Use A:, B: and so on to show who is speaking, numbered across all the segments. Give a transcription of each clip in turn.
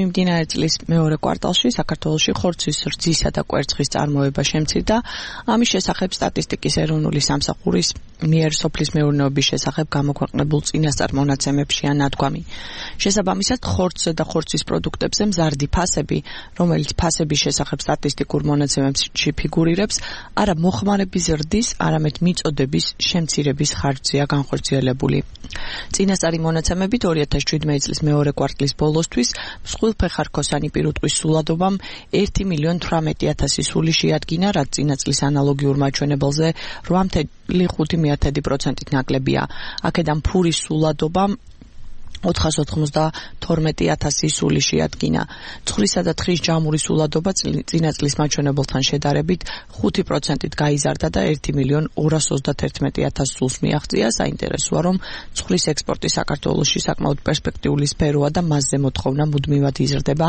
A: მიმდინარე წლის მეორე კვარტალში საქართველოში ხორცის რძისა და კვერცხის წარმოება შემცირდა. ამის შესახებ სტატისტიკის ეროვნული სამსახურის მიერ სოფლის მეურნეობის შესახებ გამოქვეყნებულ წინასწარ მონაცემებშია ნათქვამი. შესაბამისად, ხორცზე და ხორცის პროდუქტებზე მზარდი ფასები, რომელიც ფასების შესახებ სტატისტიკურ მონაცემებში ფიგურირებს, არა მოხმარების ზრდის, არამედ მიწოდების შემცირების ხარჯზეა განხორციელებული. წინასწარი მონაცემებით 2017 წლის მეორე კვარტლის ბოლოსთვის მსხვილფეხარქოსანი პირუტყვის სულადობამ 1,18,000 სული შეადგინა, რაც წინა წლის ანალოგიურ მაჩვენებელზე 8,5%-ით ნაკლებია. აქედან ფურის სულადობამ 492,000 სული შეადგინა. ცხრისა და თხრის ჯამური სულადობა წინა წლის მაჩვენებელთან შედარებით 5%-ით გაიზარდა და 1,231,000 სულს მიაღწია. საინტერესოა, რომ ცხვრის ექსპორტი საქართველოში საკმაოდ პერსპექტიული სფეროა და მასზე მოთხოვნა მუდმივად იზრდება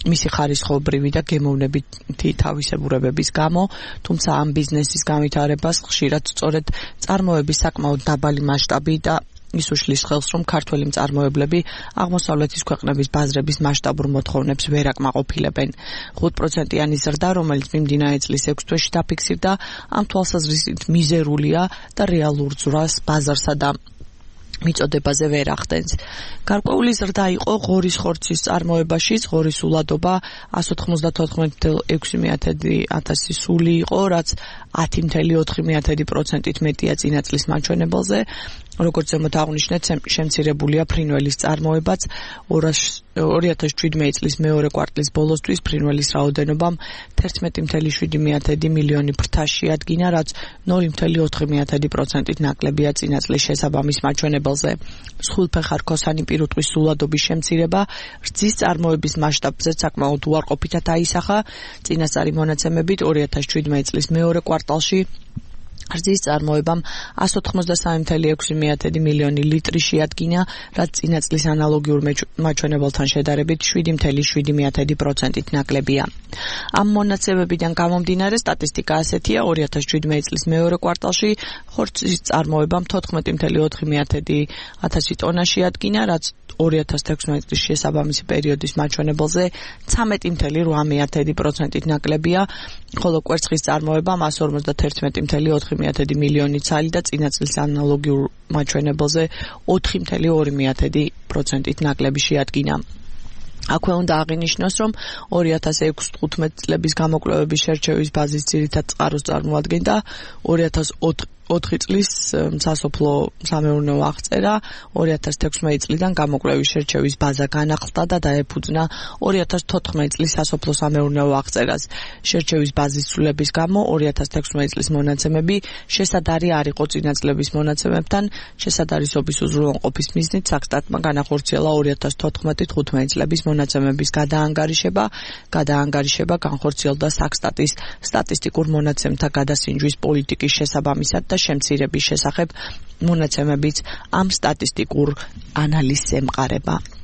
A: მისი ხარისხობრივი და გემოვნებითი თავისებურებების გამო, თუმცა ამ ბიზნესის განვითარებას ხშირად სწორედ წარმოების საკმაოდ დაბალი მასშტაბი და ის უშლის ხელს, რომ ქართველი მწარმოებლები აღმოსავლეთის ქვეყნების ბაზრების მასშტაბურ მოთხოვნებს ვერ აკმაყოფილებენ. 5%-იანი ზრდა, რომელიც მიმდინარე წლის 6 თვეში დაფიქსირდა, ამ თვალსაზრისით მიზერულია და რეალურ ძვრას ბაზარსა და მიწოდებაზე ვერ ახდენს. გარკვეული ზრდა იყო ღორის ხორცის წარმოებაში. ღორის სულადობა 194,600 სული იყო, რაც 10,4%-ით მეტია წინა წლის მაჩვენებელზე. როგორც ზემოთ აღნიშნეთ, შემცირებულია ფრინველის წარმოებაც. 2017 წლის მეორე კვარტლის ბოლოსთვის ფრინველის რაოდენობამ 11,7 მილიონი ფრთა შეადგინა, რაც 0,4%-ით ნაკლებია წინა წლის შესაბამის მაჩვენებელზე. მსხვილფეხარქოსანი პირუტყვის სულადობის შემცირება რძის წარმოების მასშტაბზე საკმაოდ უარყოფითად აისახა. წინასწარი მონაცემებით 2017 წლის მეორე კვარტალში რძის წარმოებამ 183,6 მილიონი ლიტრი შეადგინა, რაც წინა წლის ანალოგიურ მაჩვენებელთან შედარებით 7,7%-ით ნაკლებია. ამ მონაცემებიდან გამომდინარე სტატისტიკა ასეთია: 2017 წლის მეორე კვარტალში ხორცის წარმოებამ 14,400 ტონა შეადგინა, რაც 2016 წლის შესაბამისი პერიოდის მაჩვენებელზე 13,8%-ით ნაკლებია, ხოლო კვერცხის წარმოებამ 151,4 მილიონი ცალი და წინა წლის ანალოგიურ მაჩვენებელზე 4,2%-ით ნაკლები შეადგინა. აქვე უნდა აღინიშნოს, რომ 2006-15 წლების გამოკვლევების შერჩევის ბაზის ძირითად წყაროს წარმოადგენდა 2004 წლის სასოფლო სამეურნეო აღწერა. 2016 წლიდან გამოკვლევის შერჩევის ბაზა განახლდა და დაეფუძნა 2014 წლის სასოფლო სამეურნეო აღწერას. შერჩევის ბაზის ცვლილების გამო 2016 წლის მონაცემები შესადარი არ იყო წინა წლების მონაცემებთან. შესადარისობის უზრუნველყოფის მიზნით საქსტატმა განახორციელა 2014-15 წლების მონაცემების გადაანგარიშება განხორციელდა საქსტატის სტატისტიკურ მონაცემთა გადასინჯვის პოლიტიკის შესაბამისად და შემცირების შესახებ მონაცემებიც ამ სტატისტიკურ ანალიზს ემყარება.